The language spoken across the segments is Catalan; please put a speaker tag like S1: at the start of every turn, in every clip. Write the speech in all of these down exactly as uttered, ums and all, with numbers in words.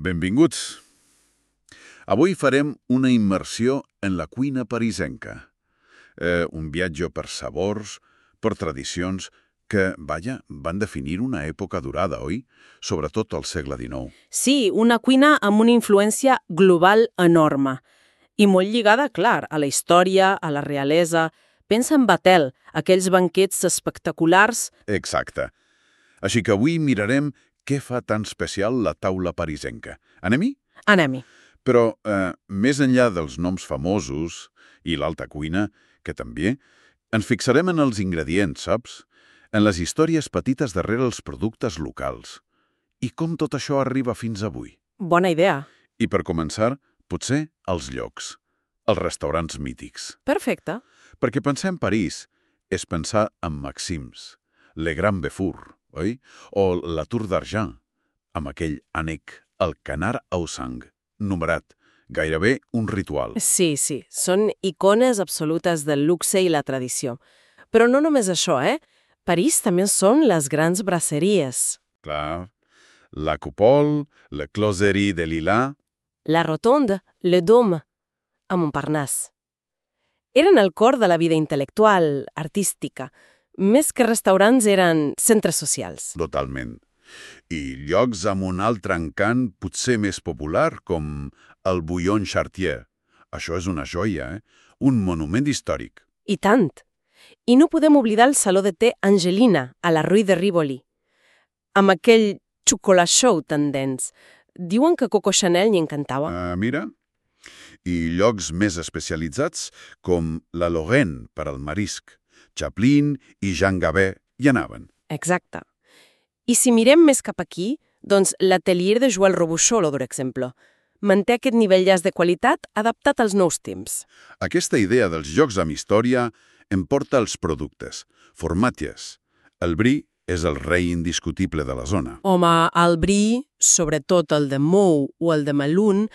S1: Benvinguts. Avui farem una immersió en la cuina parisenca. Eh, un viatge per sabors, per tradicions, que, vaja, van definir una època durada, oi? Sobretot al segle dinou.
S2: Sí, una cuina amb una influència global enorme. I molt lligada, clar, a la història, a la realesa. Pensa en Batel, aquells banquets espectaculars.
S1: Exacte. Així que avui mirarem què fa tan especial la taula parisenca. Anem-hi?
S2: Anem-hi.
S1: Però, eh, més enllà dels noms famosos i l'alta cuina, que també, ens fixarem en els ingredients, saps? En les històries petites darrere els productes locals. I com tot això arriba fins avui.
S2: Bona idea.
S1: I per començar, potser els llocs, els restaurants mítics.
S2: Perfecte.
S1: Perquè pensar en París és pensar en Maxims, Le Grand Béfour, oi? O la Tour d'Argent, amb aquell ànec, el Canard au sang, numerat, gairebé un ritual.
S2: Sí, sí, són icones absolutes del luxe i la tradició. Però no només això, eh? París també són les grans brasseries.
S1: Clar, la Coupole, la Closerie de Lila...
S2: La Rotonde, le Dôme, a Montparnasse. Eren el cor de la vida intel·lectual, artística. Més que restaurants eren centres socials.
S1: Totalment. I llocs amb un altre encant potser més popular, com el Bouillon Chartier. Això és una joia, eh? Un monument històric.
S2: I tant. I no podem oblidar el saló de té Angelina, a la Rue de Rivoli. Amb aquell xocolat chaud tan dens. Diuen que Coco Chanel n'hi encantava.
S1: Uh, mira. I llocs més especialitzats, com la Lorraine per al marisc. Chaplin i Jean Gabet hi anaven.
S2: Exacte. I si mirem més cap aquí, doncs l'atelier de Joël Robuchon, per exemple, manté aquest nivell llàs de qualitat adaptat als nous temps.
S1: Aquesta idea dels llocs amb història em porta als productes. Formatges. El brie és el rei indiscutible de la zona.
S2: Home, el brie, sobretot el de Mou o el de Melun,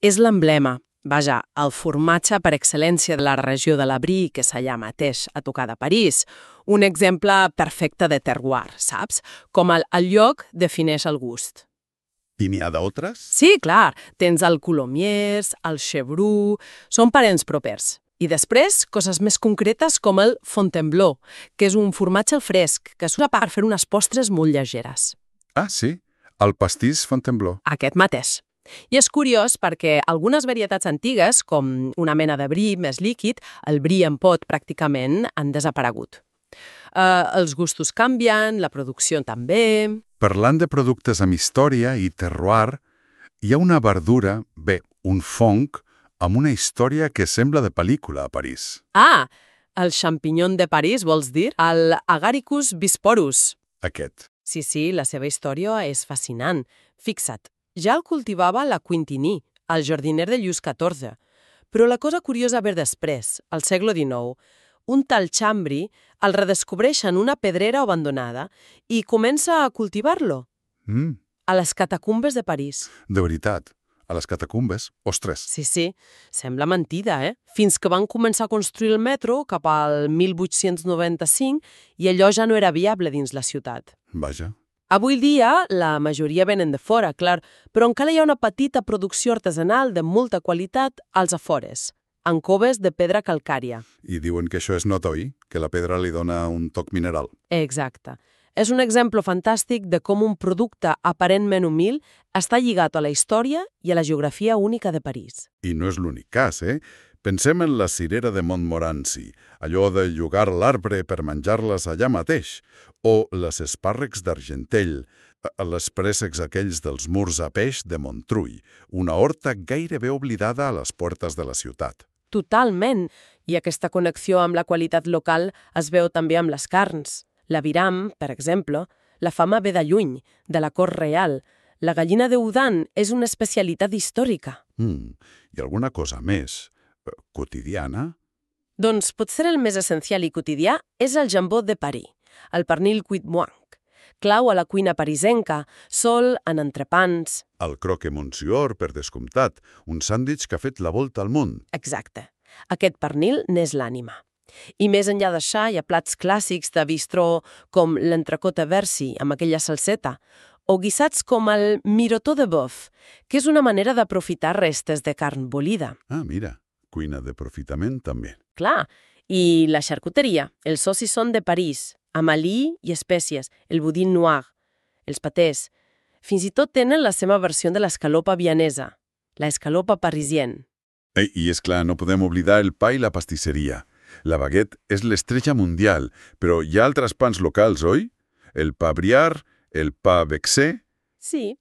S2: és l'emblema. Vaja, el formatge per excel·lència de la regió de la Brie, que s'allà mateix a tocar de París. Un exemple perfecte de terroir, saps? Com el, el lloc defineix el gust.
S1: I n'hi ha d'altres?
S2: Sí, clar. Tens el Coulommiers, el Chevroux... Són parents propers. I després, coses més concretes com el Fontainebleau, que és un formatge al fresc, que s'usa per fer unes postres molt llegeres.
S1: Ah, sí. El pastís Fontainebleau.
S2: Aquest mateix. I és curiós perquè algunes varietats antigues, com una mena de brie més líquid, el brie en pot pràcticament, han desaparegut. Uh, els gustos canvien, la producció també...
S3: Parlant de productes amb història i terroir, hi ha una verdura, bé, un fong, amb una història que sembla de pel·lícula a París.
S2: Ah, el champignon de París, vols dir? El Agaricus bisporus.
S3: Aquest.
S2: Sí, sí, la seva història és fascinant. Fixa't. Ja el cultivava la Quintini, el jardiner de Lluís catorze. Però la cosa curiosa ve després, al segle dinou. Un tal Chambry el redescobreix en una pedrera abandonada i comença a cultivar-lo.
S3: Mm,
S2: A les catacumbes de París.
S3: de veritat, a les catacumbes, ostres.
S2: Sí, sí, sembla mentida, eh? Fins que van començar a construir el metro cap al mil vuit-cents noranta-cinc i allò ja no era viable dins la ciutat.
S3: Vaja.
S2: Avui dia, la majoria venen de fora, clar, però encara hi ha una petita producció artesanal de molta qualitat als afores, en coves de pedra calcària.
S3: I diuen que això és notoi, que la pedra li dona un toc mineral.
S2: Exacte. És un exemple fantàstic de com un producte aparentment humil està lligat a la història i a la geografia única de París.
S3: I no és l'únic cas, eh? Pensem en la cirera de Montmorency, allò de llogar l'arbre per menjar-les allà mateix, o les espàrrecs d'Argentell, les préssecs aquells dels murs a peix de Montrui, una horta gairebé oblidada a les portes de la ciutat.
S2: Totalment. I aquesta connexió amb la qualitat local es veu també amb les carns. L'aviram, per exemple, la fama ve de lluny, de la cort real. La gallina de Udán és una especialitat històrica.
S3: Mm, I alguna cosa més? Quotidiana?
S2: Doncs potser el més essencial i quotidià és el jambó de Paris, el pernil cuit moanc, clau a la cuina parisenca, sol en entrepans.
S3: El croque monsieur, per descomptat, un sàndwich que ha fet la volta al món.
S2: Exacte. Aquest pernil n'és l'ànima. I més enllà d'això hi ha plats clàssics de bistró com l'entrecot a versi amb aquella salseta o guisats com el mirotor de bœuf, que és una manera d'aprofitar restes de carn bolida.
S3: Ah, mira, cuina d'aprofitament també.
S2: Clar, i la charcuteria, els saucissons de París, amb alí i espècies, el boudin noir, els patés. Fins i tot tenen la seva versió de l'escalopa vianesa, la escalopa parisienne.
S3: Ei, I és clar, no podem oblidar el pa i la pastisseria. La baguette és l'estrella mundial, però hi ha altres pans locals, oi? El pa Briard, el pa Vexé...
S2: Sí,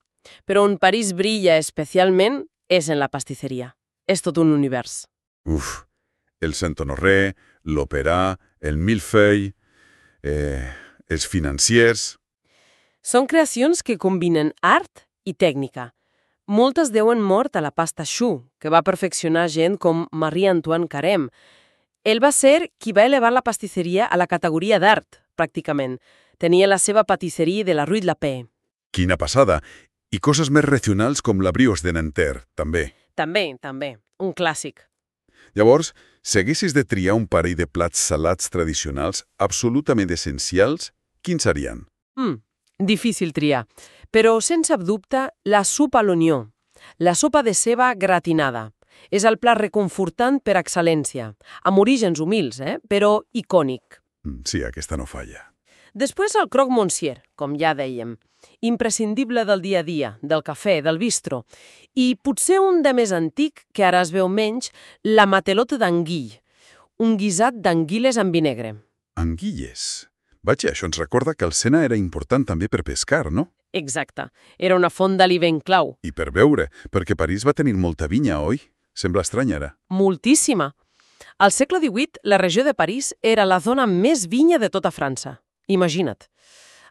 S2: però on París brilla especialment és en la pastisseria. És tot un univers.
S3: Uf, el Saint-Honoré, l'Opéra, el Millefeuille, eh, els financiers...
S2: Són creacions que combinen art i tècnica. Moltes deuen mort a la pasta choux, que va perfeccionar gent com Marie-Antoine Carême. Ell va ser qui va elevar la pastisseria a la categoria d'art, pràcticament. Tenia la seva patisserie de la Rue de la Paix.
S3: Quina passada! I coses més regionals com la brioche de Nanterre, també.
S2: També, també. Un clàssic.
S3: Llavors, si haguessis de triar un parell de plats salats tradicionals absolutament essencials, quins serien?
S2: Mm, difícil triar. Però, sense dubte, la sopa a l'onió. La sopa de ceba gratinada. És el plat reconfortant per excel·lència. Amb orígens humils, eh? Però icònic.
S3: Mm, sí, aquesta no falla.
S2: Després el croque monsieur, com ja dèiem. Imprescindible del dia a dia, del cafè, del bistro. I potser un de més antic, que ara es veu menys, la matelote d'anguille. Un guisat d'anguiles amb vi negre.
S3: Anguilles. Vaja, això ens recorda que el Sena era important també per pescar, no?
S2: Exacte. Era una font d'aliment clau.
S3: I per beure, perquè París va tenir molta vinya, oi? Sembla estrany ara.
S2: Moltíssima. Al segle divuit, la regió de París era la zona més vinya de tota França. Imagina't.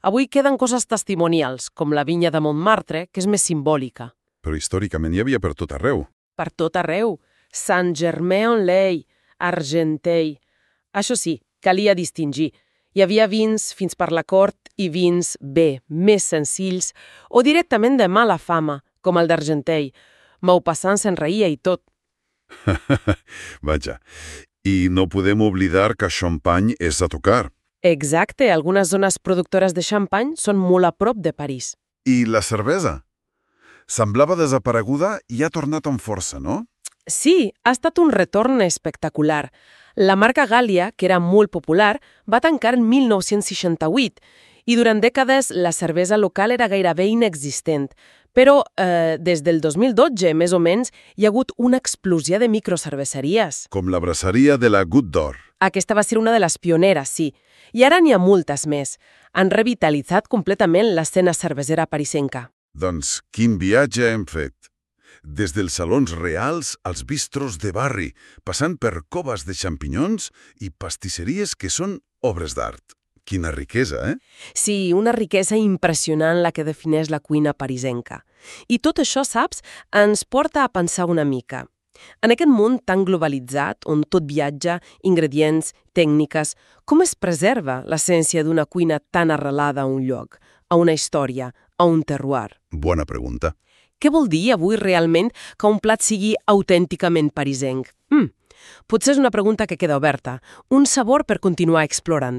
S2: Avui queden coses testimonials, com la vinya de Montmartre, que és més simbòlica.
S3: Però històricament hi havia per tot arreu.
S2: Per tot arreu. Saint-Germain-en-Laye, Argenteuil. Això sí, calia distingir. Hi havia vins fins per la cort i vins bé, més senzills, o directament de mala fama, com el d'Argenteuil. Maupassant se'n reia i tot.
S3: Vaja. I no podem oblidar que Champagne és a tocar.
S2: Exacte, algunes zones productores de xampany són molt a prop de París.
S3: I la cervesa? Semblava desapareguda i ha tornat amb força, no?
S2: Sí, ha estat un retorn espectacular. La marca Gallia, que era molt popular, va tancar en mil nou-cents seixanta-vuit i durant dècades la cervesa local era gairebé inexistent. Però eh, des del dos mil dotze, més o menys, hi ha hagut una explosió de microcerveseries.
S3: Com la braceria de la Goutte d'Or.
S2: Aquesta va ser una de les pioneres, sí. I ara n'hi ha moltes més. Han revitalitzat completament l'escena cervesera parisenca.
S3: Doncs quin viatge hem fet. Des dels salons reals als bistros de barri, passant per coves de xampinyons i pastisseries que són obres d'art. Quina riquesa, eh?
S2: Sí, una riquesa impressionant la que defineix la cuina parisenca. I tot això, saps, ens porta a pensar una mica. En aquest món tan globalitzat, on tot viatja, ingredients, tècniques, com es preserva l'essència d'una cuina tan arrelada a un lloc, a una història, a un terroir?
S3: Bona pregunta.
S2: Què vol dir avui realment que un plat sigui autènticament parisenc? Mm, potser és una pregunta que queda oberta, un sabor per continuar explorant.